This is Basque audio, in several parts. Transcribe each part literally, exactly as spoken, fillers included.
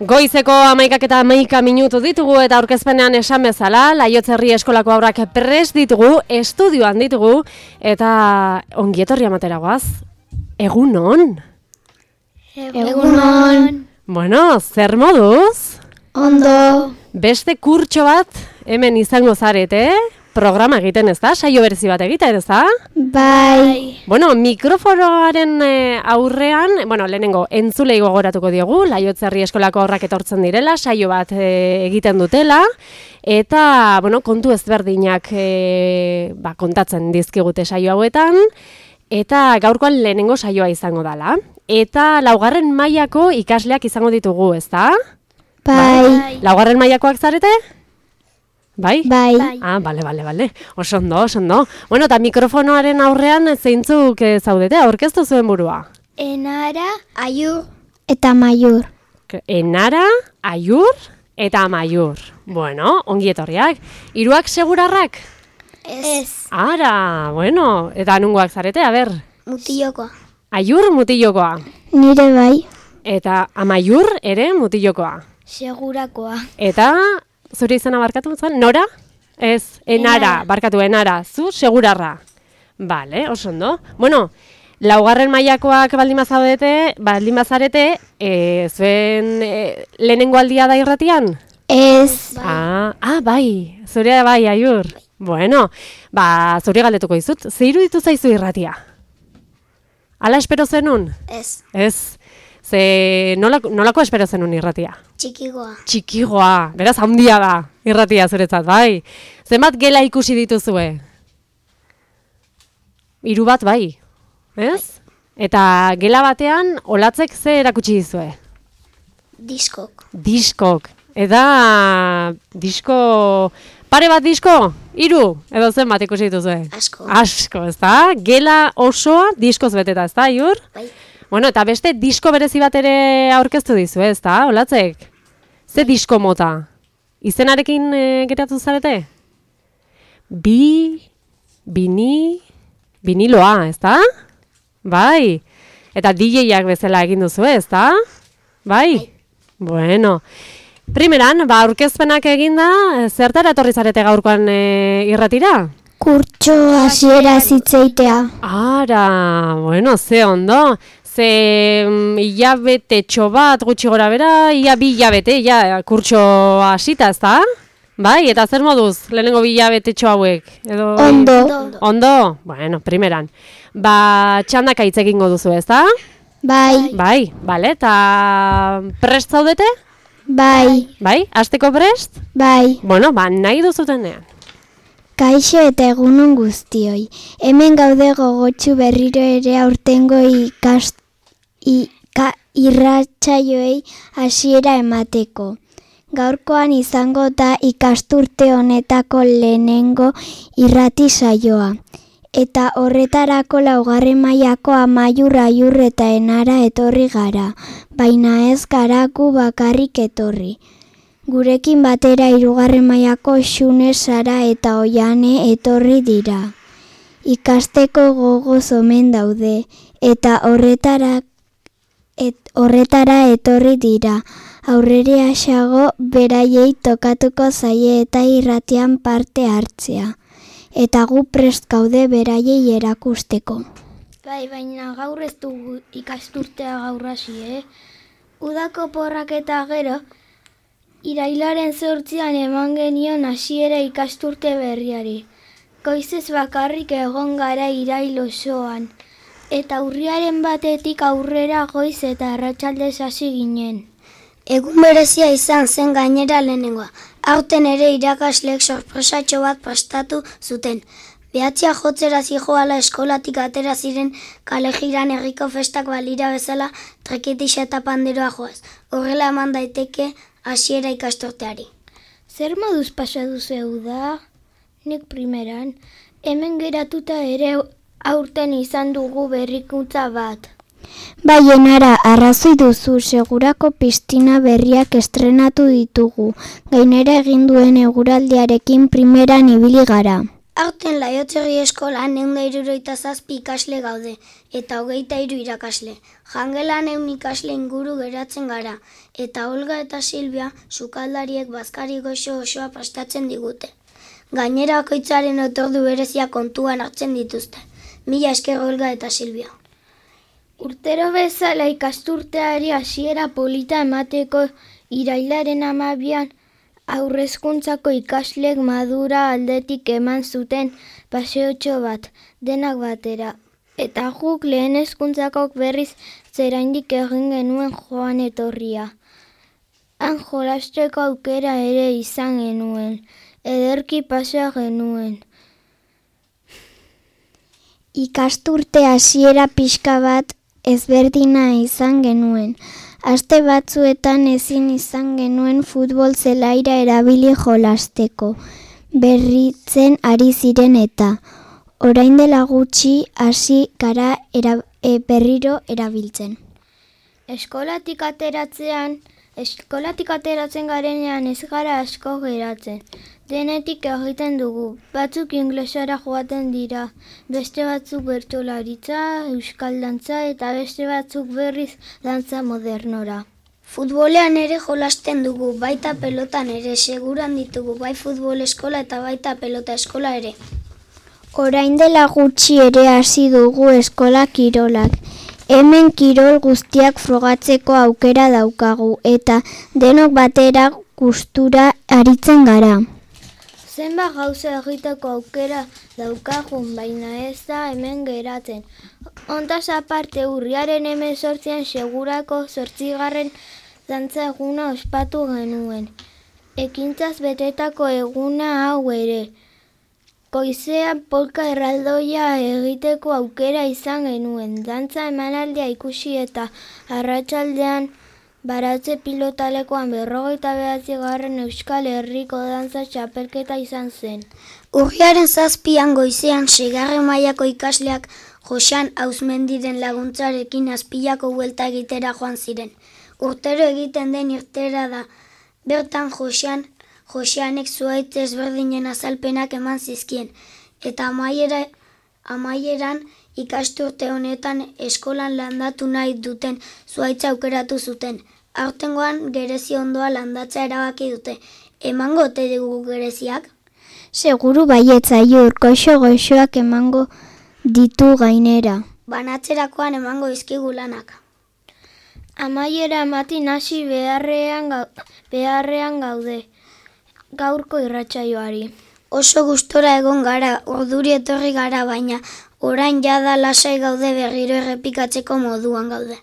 Goizeko hamaikak eta hamaika minutu ditugu eta aurkezpenean esan bezala, Laiotzerri eskolako haurrak prest ditugu, estudioan ditugu, eta ongietorri amatera goaz. Egunon? Egunon. Bueno, zer moduz? Ondo. Beste kurtxo bat hemen izango zarete, programa egiten ez da, saio berezi bat egiten ez da? Bai. Bueno, mikrofonoaren e, aurrean, bueno, lehenengo entzulei gogoratuko diogu, Laiotzerri eskolako haurrak etortzen direla, saio bat e, egiten dutela, eta, bueno, kontu ezberdinak e, ba, kontatzen dizkigute saio hauetan, eta gaurkoan lehenengo saioa izango dela. Eta laugarren mailako ikasleak izango ditugu, ez da? Bai. Laugarren mailakoak zarete? Bai? Bai. Ah, bale, bale, bale. Oso ondo, oso ondo. Bueno, eta mikrofonoaren aurrean zeintzuk eh, zaudete, aurkeztu zuen burua? Enara, Aiur eta Maiur. Enara, Aiur eta Maiur. Bueno, ongi etorriak. Hiruak segurarrak? Ez. Ara, bueno, eta nungoak zarete, a ber. Mutilokoa. Aiur mutilokoa. Nire bai. Eta Amaiur ere mutilokoa. Segurakoa. Eta zure izena barkatu zuen? Nora? Ez, enara, Enara. barkatu enara, zu segurarra. Bale, oso ondo. Bueno, laugarren mailakoak baldin bazaudete, baldin bazarete, e, zuen e, lehenengo aldia da irratian? Ez. Ah, ah, bai, zure bai, Aiur. Bueno, ba, zure galdetuko dizut, ze iruditu zaizu irratia? Hala espero zenun? Ez. Ez, ze nolako, nolako espero zenun irratia? Txikigoa. Txikigoa, beraz handia da, irratia zuretzat, bai. Zenbat gela ikusi dituzue? Hiru bat bai, ez? Eta gela batean, olatzek ze erakutsi dizue? Diskok. Diskok. Eta disko, pare bat disko? Hiru, edo zenbat ikusi dituzue? Asko. Asko, ez da? Gela osoa diskoz beteta, ez da, Aiur? Bai. Bueno, eta beste disko berezi bat ere aurkeztu dizu, ez da, olatzek? Ze disko mota? Izenarekin e, geratu zarete? Bi, bini, biniloa, ez da? Bai. Eta D J-ak bezala egin duzu, ez da? Bai? Bueno. Primeran, ba, aurkezpenak eginda, zertara etorri zarete gaurkoan e, irratira? Kurtxo hasiera zitzeitea. Ara, bueno, ze ondo. Ze mm, hilabetetxo bat gutxi gora bera, ia bi hilabete, ja, kurtxo hasita, ez da? Bai, eta zer moduz, lehenengo bi hilabetetxo hauek? Edo, Ondo. Ondo? Bueno, primeran. Ba, txandaka hitz egingo duzu, ez da? Bai. Bai, bale, eta prest zaudete? Bai. Bai, hasteko prest? Bai. Bueno, ba, nahi duzutenean. Kaixo eta egunon guztioi. Hemen gaude gogotsu berriro ere aurtengo ikast Ika, irratsaioei hasiera emateko. Gaurkoan izango da ikasturte honetako lehenengo irrati saioa. Eta horretarako laugarren mailako Amaiur, Aiur eta Enara etorri gara, baina ez gara gu bakarrik etorri. Gurekin batera hirugarren mailako Xune, Sara eta Oiane etorri dira. Ikasteko gogoz omen daude, eta horretarak Et, horretara etorri dira, aurrera xago beraiei tokatuko zaie eta irratian parte hartzea, eta gu prest gaude beraiei erakusteko. Bai, baina gaur ez dugu ikasturtea gaur hasi, eh? Udako porrak eta gero, irailaren zortzian eman genion hasiera ikasturte berriari. Goizez bakarrik egon gara irail osoan. Eta urriaren batetik aurrera goiz eta arratsaldez hasi ginen. Egun berezia izan zen gainera lehenengoa. Aurten ere irakasleek sorpresatxo bat prestatu zuten. Behatzia jotzera zijoala eskolatik atera ziren kalejiran herriko festak balira bezala trekitixa eta panderoa joaz. Horrela eman daiteke hasiera ikasturteari. Zer moduz pasa duzu da? Nik primeran, hemen geratuta ere aurten izan dugu berrikuntza bat. Bai, Enara, arrazoi duzu, segurako pistina berriak estrenatu ditugu. Gainera egin duen eguraldiarekin primeran ibili gara. Aurten Laiotzerri eskolan ehun eta hirurogeita zazpi ikasle gaude, eta hogeita hiru irakasle. Jangelan ehun ikasle inguru geratzen gara, eta Olga eta Silvia sukaldariek bazkari goxo osoa prestatzen digute. Gainera bakoitzaren otordu berezia kontuan hartzen dituzte. Mila esker Olga eta Silvia. Urtero bezala ikasturteari hasiera polita emateko irailaren hamabian aurrezkuntzako ikaslek madura aldetik eman zuten paseotxo bat, denak batera. Eta guk lehen hezkuntzakok berriz zeraindik egin genuen joan etorria. Han jolasteko aukera ere izan genuen, ederki pasea genuen. Ikasturte hasiera pixka bat ezberdina izan genuen. Aste batzuetan ezin izan genuen futbol zelaira erabili jolasteko, berritzen ari ziren eta orain dela gutxi hasi gara era, e, berriro erabiltzen. Eskolatik ateratzean, eskolatik ateratzen garenean ez gara asko geratzen. Denetik egiten dugu, batzuk inglesara joaten dira, beste batzuk bertsolaritza, euskal dantza eta beste batzuk berriz dantza modernora. Futbolean ere jolasten dugu, baita pelotan ere, seguran ditugu, bai futbol eskola eta baita pelota eskola ere. Orain dela gutxi ere hasi dugu eskola kirolak. Hemen kirol guztiak frogatzeko aukera daukagu eta denok batera gustura aritzen gara. Zenbat gauza egiteko aukera daukagun, baina ez da hemen geratzen. Hontaz aparte urriaren hemezortzian segurako zortzigarren dantza eguna ospatu genuen. Ekintzaz betetako eguna hau ere. Goizean polka erraldoia egiteko aukera izan genuen. Dantza emanaldia ikusi eta arratsaldean baratze pilotalekoan berrogeita bederatzigarren Euskal Herriko dantza txapelketa izan zen. Urriaren zazpian goizean seigarren mailako ikasleak Josean Auzmendiren laguntzarekin Azpilako buelta egitera joan ziren. Urtero egiten den irtera da. Bertan Josean Joseanek zuhaitz ezberdinen azalpenak eman zizkien, eta amaiera, amaieran ikasturte honetan eskolan landatu nahi duten zuhaitza aukeratu zuten. Aurtengoan gerezi ondoa landatza erabaki dute. Emango ote dugu gereziak? Seguru baietza urkoxo goxoak emango ditu gainera. Banatzerakoan emango izkigu lanak. Amaiera ematin hasi beharrean, gau, beharrean gaude. Gaurko irratsaioari. Oso gustora egon gara, orduri etorri gara, baina orain jada lasai gaude berriro errepikatzeko moduan gaude.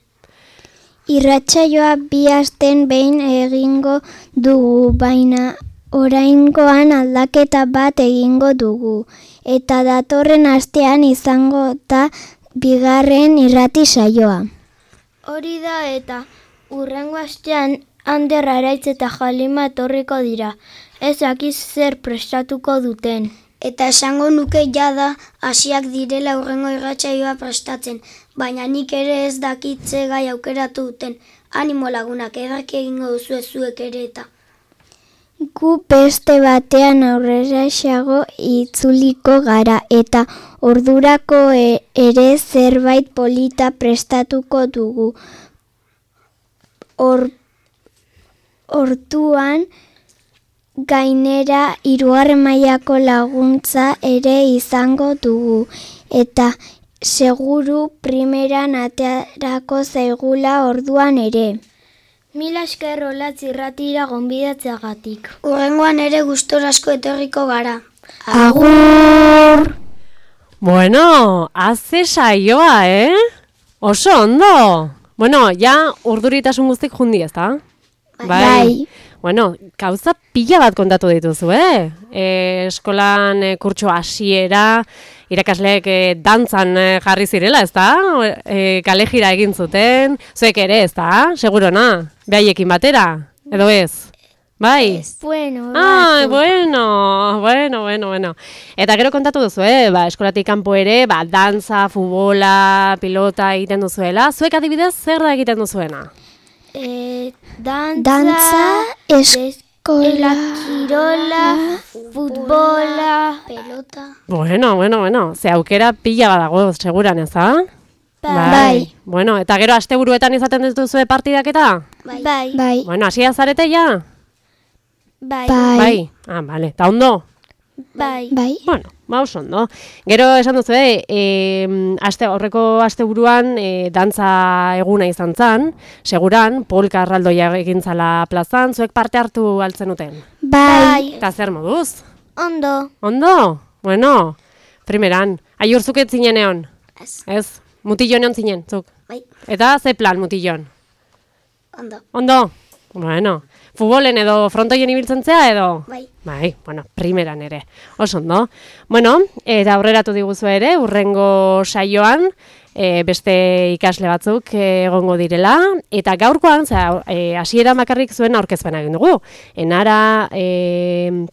Irratsaioa bi asten behin egingo dugu, baina oraingoan aldaketa bat egingo dugu. Eta datorren astean izango da bigarren irrati saioa. Hori da eta hurrengo astean Ander Araitz eta Jalima etorriko dira. Ez dakiz zer prestatuko duten. Eta esango nuke jada hasiak direla hurrengo irratsaioa prestatzen, baina nik ere ez dakitze gai aukeratu duten. Animo lagunak, ederki egingo duzu zuek ere eta. Gu beste batean aurreraxeago itzuliko gara eta ordurako ere zerbait polita prestatuko dugu. Or, orduan gainera hirugarren mailako laguntza ere izango dugu eta seguru primeran aterako zaigula orduan ere. Mila esker Olatz irratira gonbidatzeagatik. Hurrengoan ere gustora asko etorriko gara. Agur! Bueno, haze saioa, eh? Oso ondo! Bueno, ja urduritasun guztik jundi, ezta? Bai. Bueno, gauza pila bat kontatu dituzu, eh? E, eskolan e, kurtso hasiera, irakasleek e, dantzan e, jarri zirela, ezta? E, kalejira egin zuten, zuek ere, ezta? Segurona, behaiekin batera, edo ez? Bai? Bueno, Ah, bueno, bueno, bueno, bueno. Eta gero kontatu duzu, eh? Ba, eskolatik kanpo ere, ba, dantza, futbola, pilota egiten duzuela. Zuek adibidez, zer da egiten duzuena? E, dantza, Dantza, esko Eskola, kirola, futbola, pelota. Bueno, bueno, bueno, ze aukera pila badago, seguran ez, ha? Bai. Bueno, eta gero asteburuetan izaten dituzue partidak eta? bai, bai, Bueno, hasia zarete ja? bai, bai, Bai. Ah, vale. Eta ondo? bai, bai, Bueno, ba oso ondo. Gero esan duzu, eh, e, aste, aurreko asteburuan e, dantza eguna izan zan, seguran, polka erraldoia egin zala plazan, zuek parte hartu altzen uten. bai, Eta zer moduz? ondo, Ondo? Bueno, primeran, aiur zuket zinen egon? Ez, Ez, mutilon egon zinen, zuk. bai, Eta ze plan mutilon? ondo. Ondo? Bueno, futbolen edo frontoien ibiltzen zea edo? Bai, Bai, bueno, primeran ere. Oso ondo. Bueno, eta aurreratu diguzu ere, urrengo saioan, e, beste ikasle batzuk e, egongo direla, eta gaurkoan, zera, e, hasiera bakarrik zuen aurkezpena egin dugu. Enara, e,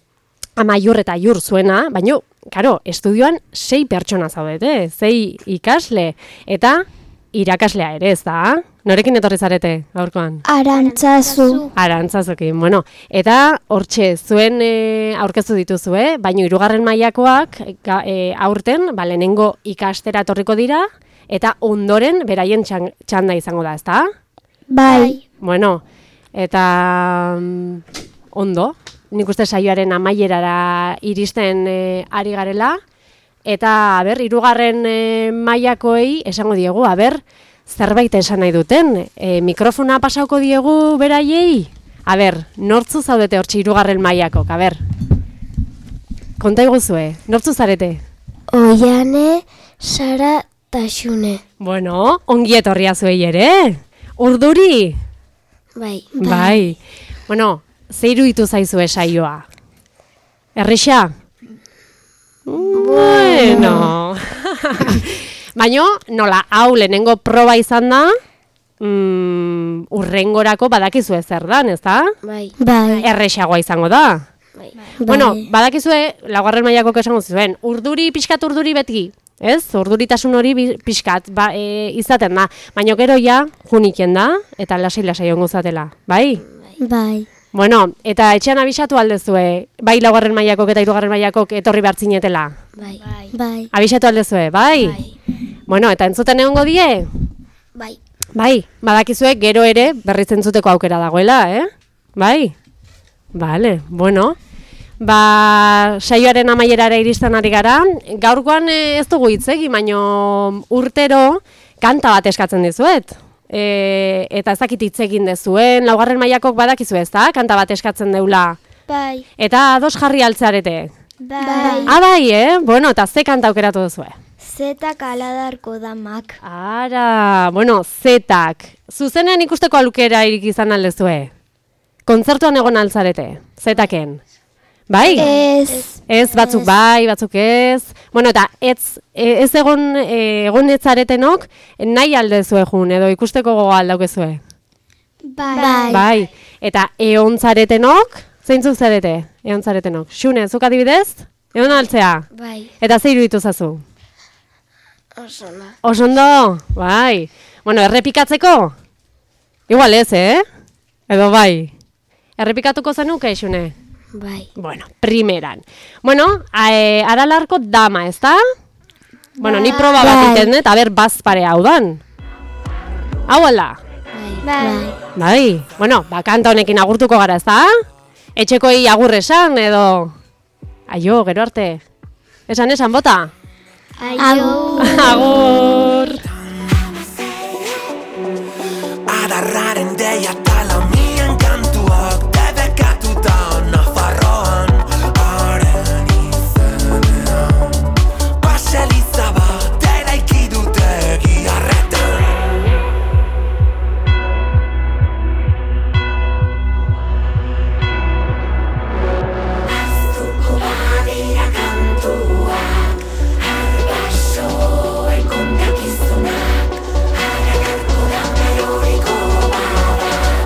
amaiur eta aiur zuena, baina, karo, estudioan sei pertsona zaudete, sei ikasle, eta irakaslea ere, ez da? Norekin etorri zarete gaurkoan? Arantzazu, Arantzazukin, bueno, eta hortxe zuen e, aurkeztu dituzue, baina hirugarren mailakoak ga, e, aurten, ba, lehenengo ikastera etorriko dira, eta ondoren beraien txan, txanda izango da, ezta? bai, Bueno, eta mm, ondo, nik uste saioaren amaierara iristen e, ari garela, eta, aber, hirugarren e, mailakoei esango diegu, aber, zerbait esan nahi duten, e, mikrofona pasauko diegu beraiei? A ber, nortzu zaudete hortxe hirugarren mailakok, a ber. Konta iguzue, nortzu zarete? Oiane, Sara, Taxune. Bueno, ongi etorria zuei ere. Urduri? bai, Bai. Bueno, ze iruditu zaizue saioa? Errisa? Bueno. Baina, nola, hau lehenengo proba izan da, mm, urrengorako badakizue zer dan, ez da? bai, Bai, Erresagoa izango da. bai, Bueno, badakizue, laugarren mailako esango zuen, urduri, pixkat urduri beti, ez? Urduritasun hori bi- pixkat ba, e, izaten da. Baina gero ja, juniken da, eta lasai-lasai ongo zatela, bai? bai, Bueno, eta etxean abisatu aldezue, bai laugarren mailakok eta hirugarren mailakok etorri behartzinetela. bai, bai, Abisatu aldezue, bai? Bueno, eta entzuten egongo die? bai, Bai, badakizue gero ere berriz entzuteko aukera dagoela, eh? Bai? Vale, bueno. Ba, saioaren amaierara iristen ari gara. Gaurkoan eh, ez dugu hitz egin, baino urtero kanta bat eskatzen dizuet. E, eta ez dakit hitz egin dezuen, laugarren mailakok badakizu ez da, kanta bat eskatzen deula. bai, Eta ados jarri altzarete. bai, Ah, bai, eh? Bueno, eta ze kanta aukeratu duzue? zetak aladarko damak, Ara, bueno, zetak. Zuzenean ikusteko alukera irik izan aldezue. Kontzertuan egon altzarete, zetaken. Bai? ez, Ez, batzuk bai, batzuk ez. Bueno, eta ez, e, ez egon, e, egon etzaretenok, nahi aldezue jun, edo ikusteko gogoa aldaukezue. bai, Bai. Eta egon zaretenok, zeintzuk zarete, egon zaretenok. Xune, zuk adibidez, egon altzea. bai, Eta ze iruditu zazu? oso na. Oso ondo, bai. Bueno, errepikatzeko? Igual ez, eh? Edo bai. Errepikatuko zenuke, Xune? Bai, Bueno, primeran. Bueno, e, aralarko dama, ez da? Bueno, ni proba bat Bai. egiten dut, a ber, bazpare hau dan. Hau ala? bai, bai, Bai. Bueno, ba, kanta honekin agurtuko gara, ez da? Etxekoi agur esan, edo... Aio, gero arte. Esan, esan, bota? aio, Agur! Adarraren deia eta launien kantuak debekatuta Nafarroan haren izenean Baseliza bat eraiki dute giharretan Aztuko badira kantuak Arbaso ekondakizunak Aragarko da meroriko bada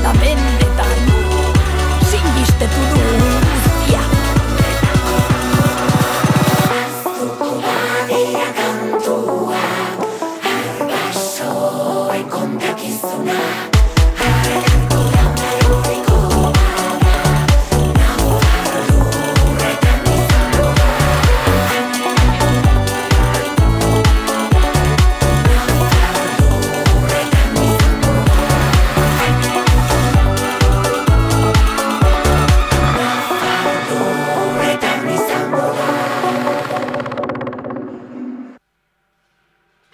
la mende